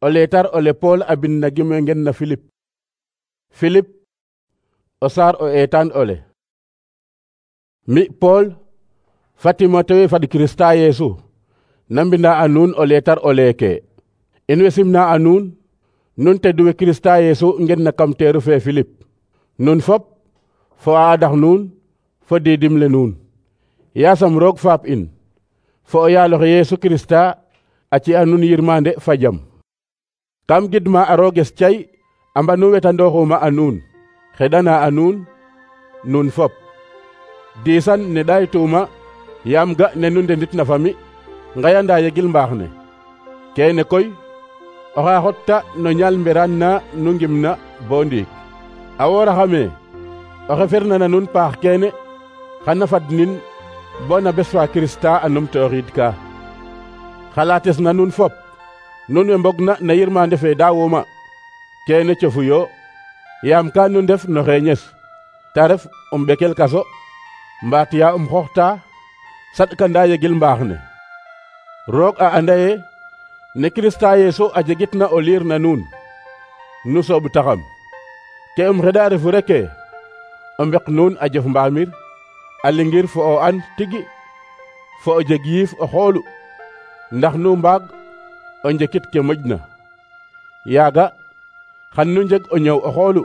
O leetar ole Paul a bind na gime ngen na Philippe. Philippe o saar o eetaan ole. Mi Paul fa Timotewe fad Kirista Yesu na mbinda a nuun o leetar o leeke. In way simna a nuun nun teduwe Kirista Yesu ngen na kam teeru fe Philippe. Nun fop fo a adax nuun fo diidim le nuun. Yaasam roog faap in fo o yaaloxe Yesu Kirista a ci a nuun yirmande fa jam. Kam gidma a rooges cay a mbanu wetandooxuma a nuun xeɗana a nuun nuun fop. Diisan ne ɗaytuma yaam ga ne nu ndendit na fami ngayanda yegil mbaax ne. Keene koy oxa xotta no ñaal mberaan na nu ngimna bo ndiik. A wooraxame oxe ferna na nuun paax keene xana fadnin bo na bes fa Kirista a numtooxiid ka. Xalaates na nuun fop nun we mbogna na yirmande fe daawuma keene cofu yo yaam ka nu ndef no xeeñes ta ref ɓekel kaso mbaat ya xooxta saɗkanda yegil mbaax ne. Roog a anda ye ne Kirista Yesu a jegitna o liir na nuun nu sooɓ taxam ke xeɗa refu reke o mbek nuun a jof mbaamir a lingir fo o an tigi fo o jeg yiif o xoolu ndax nu mbaag o njekit ke moƴna. Yaaga xan nu njeg o ñow o xoolu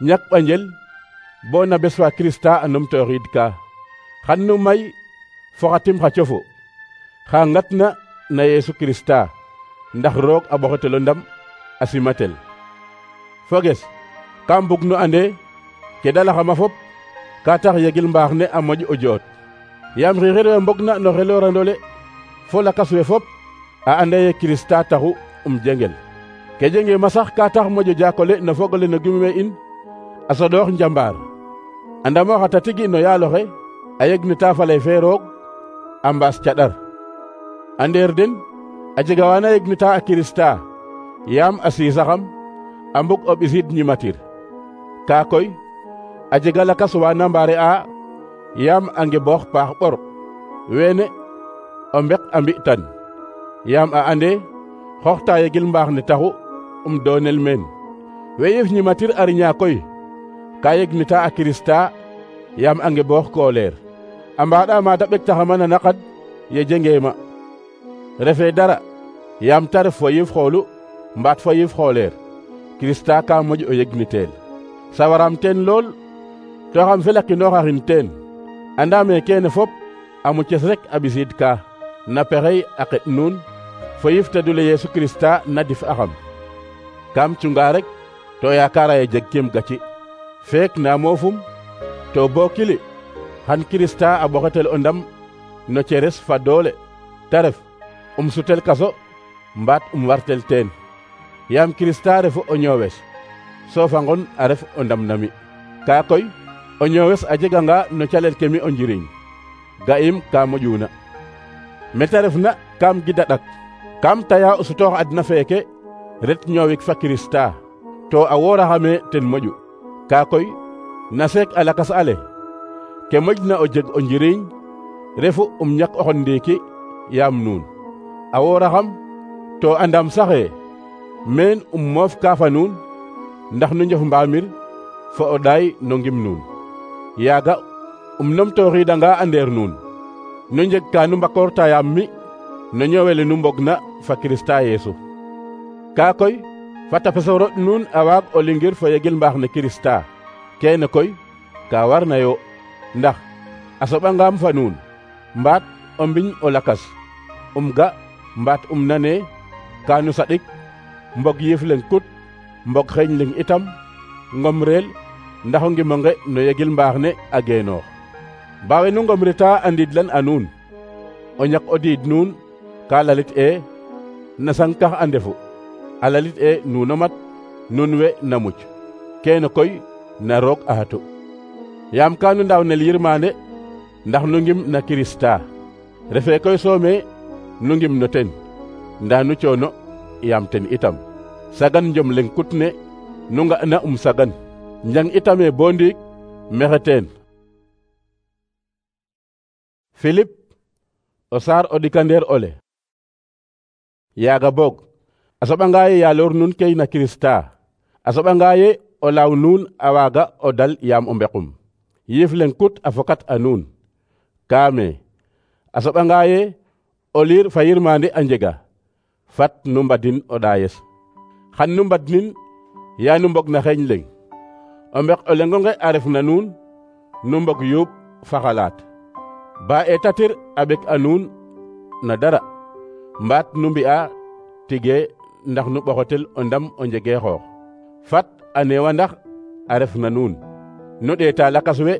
ñak ɓanjel bo na bes fa Kirista a numtooxiid ka. Xan nu may fo xa tim xa cofu xa ngatna na Yesu Kirista ndax roog a ɓoxetel o ndam a simatel. Foges kam bug nu ande ke dalaxama fop ka tax yegil mbaax ne a moƴ o joot. Yaam xiixir we mbogna no xeloorandole fo lakas we fop a anda ye Kirista taxu jengel. Ke jenge ma sax ka tax moƴo jakole no fogole no gime in a soɗoox njambaar. Andamo xata tigi no yaaloxe a yegnita faley fe roog a mbaas caɗar. A ndeer den a jega wana yegnita a Kirista yaam a siisaxam a mbug o ɓisiid ñimatir. Ka koy a jega lakas wana mbaare a yaam a ngeboox paax ɓor. Weene o mbek a mbi'tan yaam a ande xooxta yegil mbaax ne taxu doonel meen. We yif ñimatir a riña koy ka yegnita a Kirista yaam a ngeboox kooleer. A mbaɗa mata ɓektaxama na naqad ye jengeema. Refe dara yaam ta ref fo yiif xoolu mbaat fo yiif xooleer Kirista ka moƴ o yegniteel. Sawaram teen lool to xam felakinooxaxin teen. Andame keene fop a muces rek a ɓisiid ka na pexey a qeɗ nuun fo yif tedule Yesu Kirista na dif axam. Kam cunga rek to yaakara ye jeg kim gaci. Feek na moofum to bo kili xan Kirista a ɓoxetel o ndam no ceres fa doole ta ref sutel kaso mbaat wartel teen. Yaam Kirista refu o ñoowes so fa ngon a ref o ndam nami. Ka koy o ñoowes a jeganga no calel ke mi o njiriñ ga'im ka moƴuna. Meta refna kam gida ɗak kam taya o sutoox adna feeke ret ñoowik fa Kirista to a wooraxame ten moƴu. Ka koy na seek a lakas ale ke moƴna o jeg o njiriñ refu ñak oxon ndiiki yaam nuun. A wooraxam to andam saxe meen moof ka fa nuun ndax nu njof mbaamir fo o ɗaay no ngim nuun. Yaaga numtooxiidanga a ndeer nuun nu njeg ka nu mbakoorta yaam mi no ñoowele nu mbogna fa Kirista Yesu. Ka koy fata peso roɗ nuun a waag o lingir fo yegil mbaax ne Kirista. Keene koy ka warna yo ndax a soɓangam fa nuun mbaat o mbiñ o lakas ga mbaat nane ka nu saɗik mbog yiif leng kut mbog xeeñ leng itam ngom reel ndax o ngimonge no yegil mbaax ne a geenoox. Bawe nu ngomrita a ndiidlan a nuun o ñak o diid nuun ka lalit na sankax a ndefu a lalit nuuno mat nun we na muc. Keene koy na roog a xatu yaam ka nu ndaawnel yirmande ndax nu ngim na Kirista. Refe koy soome nu ngim no ten nda nu coono yaam ten itam. Sagan njom leng kut ne nu nga'na sagan njang itame bo ndiik mexe teen. Philippe o saar o ɗikandeer ole. Yaaga boog a soɓanga ye yaloor nuun key na Kirista a soɓanga ye o laaw nuun a waaga o dal yaam o mbequm yiif leŋ kut a fokat a nuun kaame a soɓanga ye o liir fa yirmande a njega fat nu mbadin o ɗaayes xan nu mbadnin yaa nu mbog na xeeñ leŋ o mbeq o leŋonge a ref na nuun nu mbog yuuɓ fa xalaat ba eetatir a ɓek a nuun na dara mbaat nu mbi'a tige ndax nu ɓoxotel o ndam o njege xoox fat a neewa ndax a ref na nuun nu ɗeeta lakas we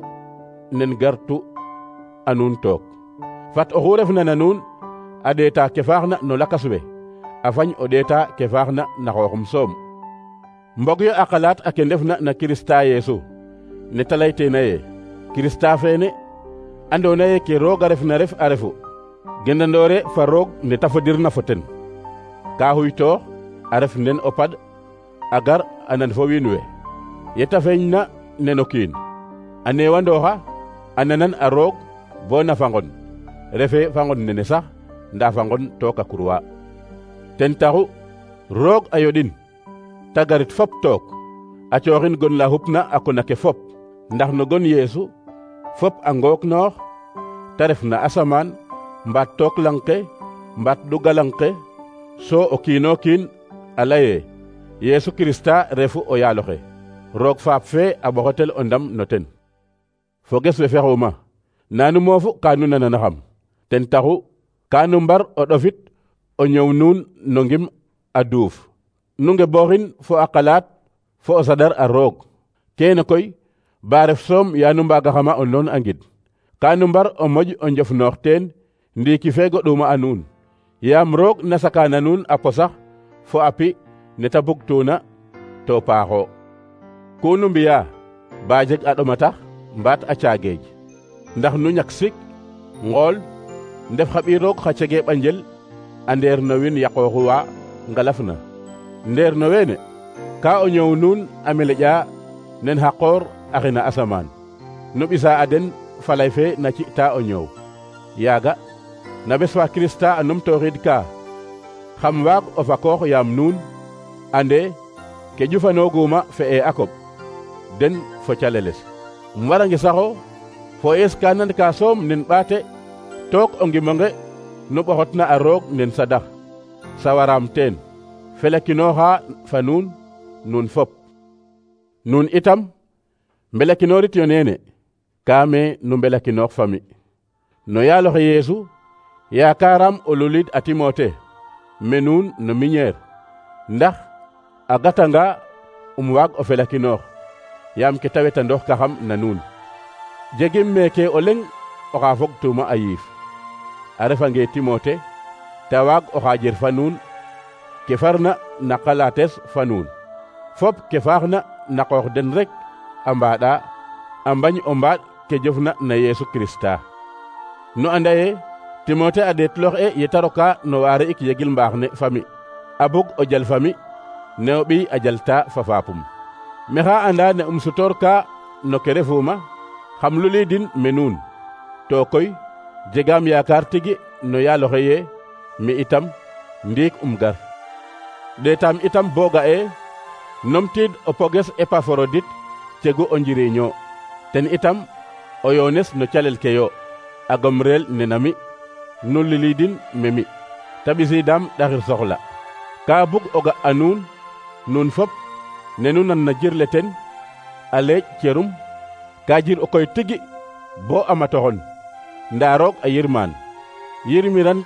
nen gartu a nuun took fat oxu refna na nuun a ɗeeta ke faaxna no lakas we a fañ o ɗeeta ke faaxna na xooxum soom mbog yo a xalaat a ke ndefna na Kirista Yeesu ne ta layteena ye Kirista feene andoona ye ke roog a refna ref a refu gendandoore fa roog ne ta fodirna fo ten ka xuytoox a ref nen o pad a gar a nan fo wiin we yeta feeñna neno kiin a neewandooxa a nanan a roog bo na fangon refe fangon nene sax nda fangon took a kurwa ten taxu roog a yoɗin ta garit fop took a cooxin gon la xupna a kona ke fop ndax no gon Yeesu fop a ngook noox ta ref na asamaan mbaat took lang ke mbaat ɗuga lang ke so o kiino kiin a laye Yeesu Kirista refu o yaaloxe roog faap fe a ɓoxotel o ndam no ten foges we fexuma nanu moofu ka nu nananaxam ten taxu ka nu mbar o ɗofit o ñëw nuun no ngim a duuf nu ngebooxin fo a xalaat fo o sadar a roog keene koy ba ref soom yaa nu mbaagaxama o loon a ngid ka nu mbar o moƴ o njof noox teen ndiiki fe goɗuma a nuun yaam roog na sakaana nuun a posax fo a pi ne ta bugtuuna to paaxo ku nu mbi'a ba jeg a ɗoma tax mbaat a caageej ndax nu ñak sik ngool ndef xa ɓiy roog xa cege ɓanjel a ndeer no win yaqooxuwa ngalaf na ndeer no weene ka o ñëw nuun a meleƴa nen xa qoor a xina asamaan nu ɓisa a den falay fe na ci'ta o ñoow yaaga na bes fa Kirista a numtooxiid ka xam waag o fakoox yaam nuun ande ke ƴufanooguma fe'e a koɓ den fo caleles warange saxo fo ees ka nan ka soom nen ɓaate took o ngimonge nu ɓoxotna a roog nen sadax sawaraam teen felakinooxa fa nuun nuun fop nuun itam mbelakinoorit yo neene kaame nu mbelakinoox fami no yaaloxe Yeesu yaakaaraam o luliid a Timote me nuun no miñeer ndax a gatanga waag o felakinoox yaam ke ta wetandoox kaxam na nuun jegim meeke o leŋ oxa fogtuuma a yiif a refange Timote ta waag o xaajer fa nuun ke farna na xalaates fa nuun fop ke faaxna na qoox den rek a mbaɗa a mbañ o mbaaɗ ke jofna na Yeesu Kirista nu anda ye Timote a ɗeetloox e yeta roka no waare ik yegil mbaax ne fami a bug o jal fami ne o ɓiy a jalta fa faapum mexa anda ne sutoor ka no ke refuma xam luliidin me nuun to koy jegaam yaakaar tigi no yaaloxe ye mi itam ndiik gar ɗeetaam itam bo ga'e nomtiid o poges Epaforodit cegu o njiriño ten itam o yoones no calel ke yo a gomreel nena mi nu liliidin me mi ta ɓisiidaam ɗaxir soxla ka bug o ga a nuun nuun fop ne nu nan na jirle ten a leeƴ cerum ka jir o koy tigi bo a matoxon ndaa roog a yirmaan yirmiran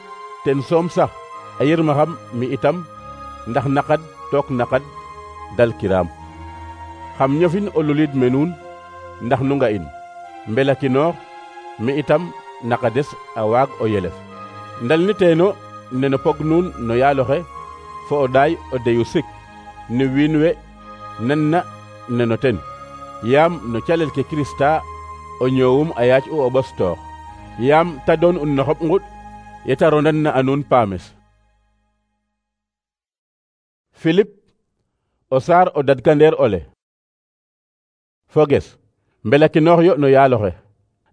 ten soom sax a yirmaxam mi itam ndax naqad took naqad dalkiraam xam ñofin o luliid me nuun ndax nu nga in mbelakinoox mi itam naqades a waag o yelef ndal ni teeno neno pog nuun no yaaloxe fo o ɗaay o deyu sik ni wiin we nanna neno ten yaam no calel ke Kirista o ñoowum a yaac u o ɓostoox yaam ta doon un no xoɓ ŋuɗ yeta rondan na a nuun paames Philip o saar o dadkandeer ole foges mbelakinoox yo no yaaloxe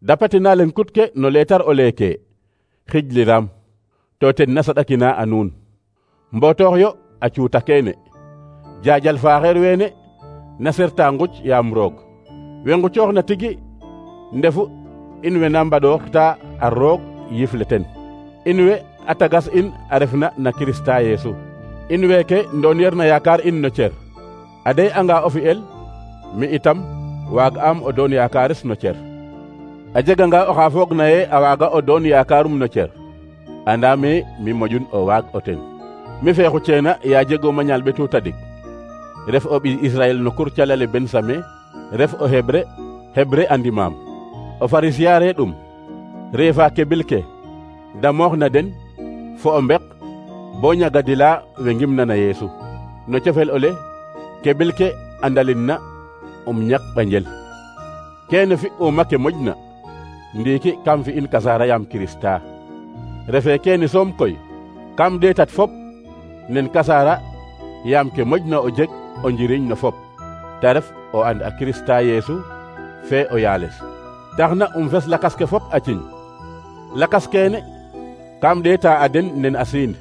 dapatina len kutke no leetar o leeke xijliram to ten na saɗakina a nuun mbotoox yo a cuuta keene jaajal faaxeer weene na serta nguc yaam roog we ngucooxna tigi ndefu in we na mbaɗooxta a roog yifle ten in we a tagas in a refna na Kirista Yeesu in weeke ndoon na yaakaar in no cer a dey anga o fi'el mi itam waag am o doon yaakaares no cer a jeganga oxa foogna ye a waaga o doon yaakaarum no cer andaame mi moƴun o waag o ten mi feexu ceena ya jegooma ñaal ɓetu tadik ref o ɓi Israel no kur calale Bensame ref o Hebre andimaam o Farisiya ɗum reefa kebil ke damoox na den fo o mbek bo ñagadila we ngimna na Yeesu no cofel ole kebil ke andalin na ñak ɓanjel keene fi uma ke moƴna ndiiki kam fi in kasaara yaam Kirista refe keene soom koy kam ɗeetat fop nen kasaara yaam ke moƴna o jeg o njiriñ no fop ta ref o and a Kirista Yeesu fe o yaales taxna fes lakas ke fop a ciñ lakas keene kam ɗeeta a den nen a siind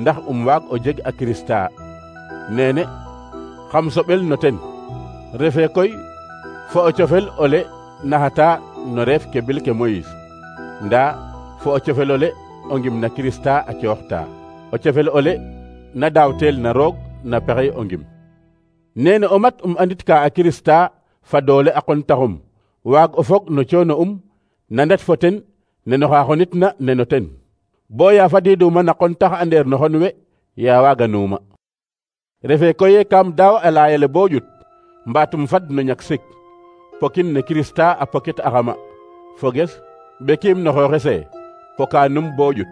ndax waag o jeg a Kirista nene xam soɓel no ten refe koy fo o cofel ole naxata no reef ke bil ke Moïse nda fo o cofel ole o ngim na Kirista a cooxta o cofel ole na daawtel na roog na pexey o ngim nene o mat andit ka a Kirista fa doole a qon taxum waag o fog no coono na ndet fo ten neno xa xonitna neno ten bo ya fadiduma na qon tax a ndeer no xon we ya waaga nuuma refe koye kam daaw a layele bo ƴut mbaatum fad no ñak sik pokin ne Kirista a pokit axama foges ɓekiim no xooxese poka num bo ƴut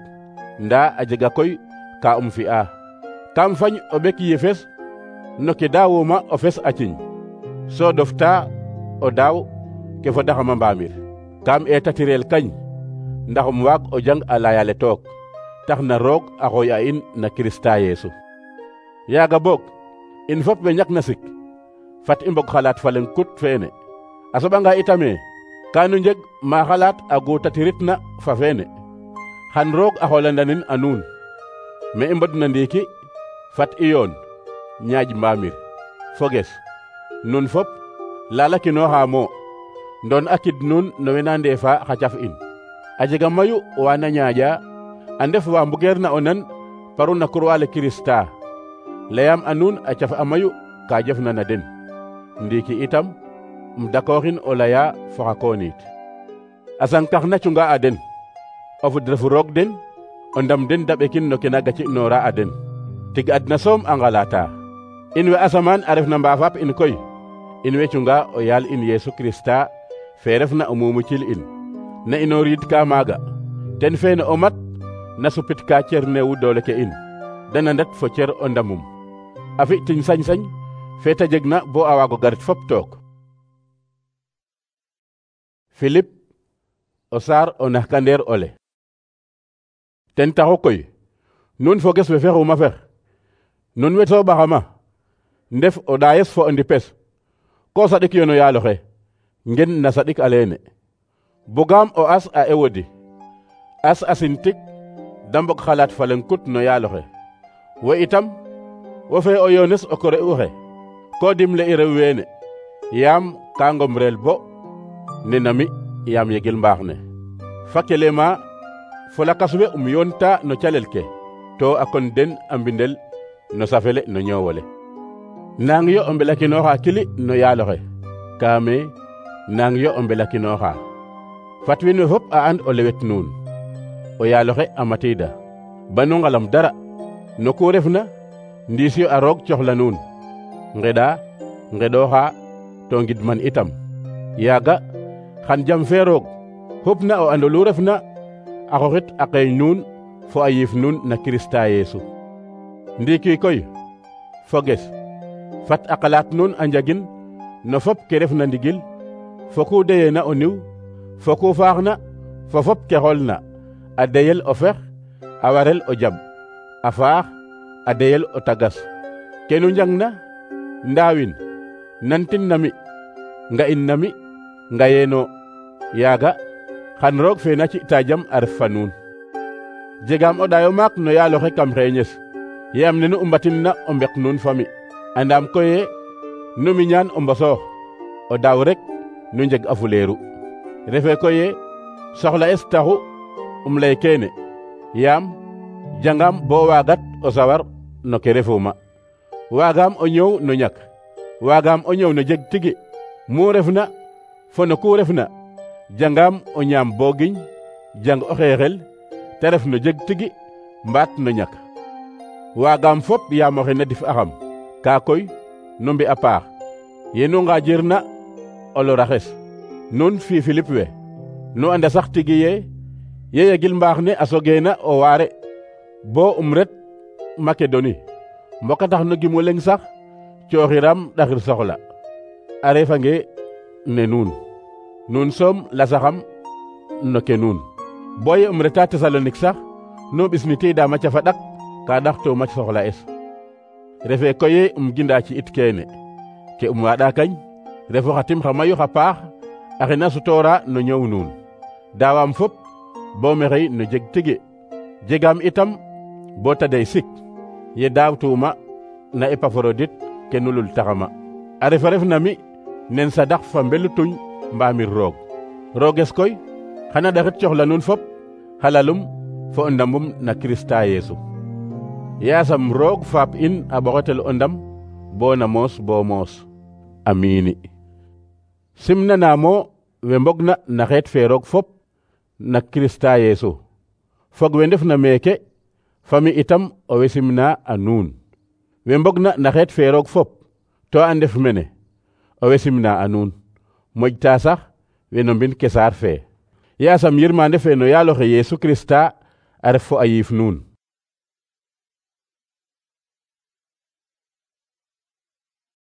nda a jega koy ka fi'a kam fañ o ɓek yefes no ke daawuma o fes a ciñ so dofta o daaw ke fodaxama mbaamir kam eetatirel kañ ndax waag o jang a layale took tax na roog a xooy a in na Kirista Yeesu yaaga boog in fop we ñak na sik fat i mbog xalaat fa leŋ kut feene a soɓanga itame kanu njeg ma xalaat a guutatiritna fa feene xan roog a xoolandanin a nuun me i mbodna ndiiki fat i yoon ñaaj mbaamir foges nun fop lalakinooxa mo ndoon a kid nuun no wena ndeefa xa caf in a jega mayu wana ñaaƴa a ndef wa mbugeerna o nan paru na croix le Kirista layam a nuun a caf a mayu ka jofna na den ndiiki itam dakooxin o laya fo xa kooniit a sankax na cunga a den o fud refu roog den o ndam den da ɓekin no ke na gaci'noora a den tig adna soom a ngalata in we asamaan a refna mbaafap in koy in we cunga o yaal in Yeesu Kirista fe refna o mumucil in na inooriid ka maaga ten feene o mat na supit ka cer neewu doole ke in dana ndet fo cer o ndamum a fi tiñ sañ-sañ fe ta jeg na bo a waago garit fop took Philip o saar o naxkandeer ole ten taxu koy nun foges we fexuma fex nun we sooɓaxama ndef o ɗaayes fo o ndipes ko saɗik yo no yaaloxe ngen na saɗik aleene bugaam o as a ewodi as a sintik da mbog xalaat fa leŋ kut no yaaloxe wo itam wo fe o yoones o kore uxe ko dimle i rew weene yaam ka ngomreel bo nena mi yaam yegil mbaax ne fa kelema fo lakas we yoonta no calel ke to a kon den a mbindel no safele no ñoowole nang yo o mbelakinooxa kili no yaaloxe kaame nang yo o mbelakinooxa fat wiin we fop a and o lewet nuun o yaaloxe a matiida banu ngalam dara no ku refna ndiis yo a roog coxla nuun ngeɗa ngeɗooxa to ngidman itam yaaga xan jam fe roog xupna o ando lu refna a xoxit a qeeñ nuun fo a yiif nuun na Kirista Yeesu ndiiki koy foges fat a xalaat nuun a njagin no fop ke refna ndigil fo ku deyeena o niw fo ku faaxna fo fop ke xoolna a deyel o fex a warel o jab a faax a deyel o tagas kenu njangna ndaawin nantin na mi nga'in na mi ngayeeno yaaga xan roog fe na ci'ta jam a ref fa nuun jegaam o ɗayo maak no yaaloxe kam xeeñes yaam nenu u mbatinna o mbek nuun fami andam koye nu miñaan o mbosoox o daaw rek nu njeg a fuleeru refe koye soxla es taxu lay keene yaam jangam bo waagat o sawar no ke refuma waagaam o ñëw no ñak waagaam o ñëw no jeg tigi mu refna fo no ku refna jangam o ñaam bo giñ jang o xeexel te ref no jeg tigi mbaat no ñak waagaam fop yaam oxe na dif axam kaa koy nu mbi a paax yenu ngaajirna o loraxes nun fi Philippe we nu anda sax tigi ye yegil mbaax ne a sogeena o waare bo ret Makedoni mboka tax no gimu leng sax cooxiram ɗaxir soxla a refange ne nuun soom lasaxam no ke nuun boye reta Tesalonik sax no ɓisnitiida ma cafa ɗak ka ɗaxtoma soxla es refe koye ginda ci it keene ke waaɗa kañ refo xa tim xa mayu xa paax a xena sutoora no ñëw nuun daawam fop bo mexey no jeg tigi jegaam itam bo tadey sik ye daawtuuma na Epafrodit ke nulul taxama a ref na mi nen sadax fa mbelu tuñ mbaamir rooges koy xana ɗaxit coxla nuun fop halalum fo o ndamum na Kirista Yeesu yaasam roog faap in a ɓoxetel o ndam bo na moos bo moos amiini simnanaamo we mbogna na xeet fe roog fop na Kirista Yeesu fog we ndef na meeke fami itam owey simna a nuun we mbogna na xeet fe roog fop to a ndef mene owey simna a nuun moƴta sax we no mbin kesaar fe yaasam yirmande fe no yaaloxe Yeesu Kirista a ref fo a yiif nuun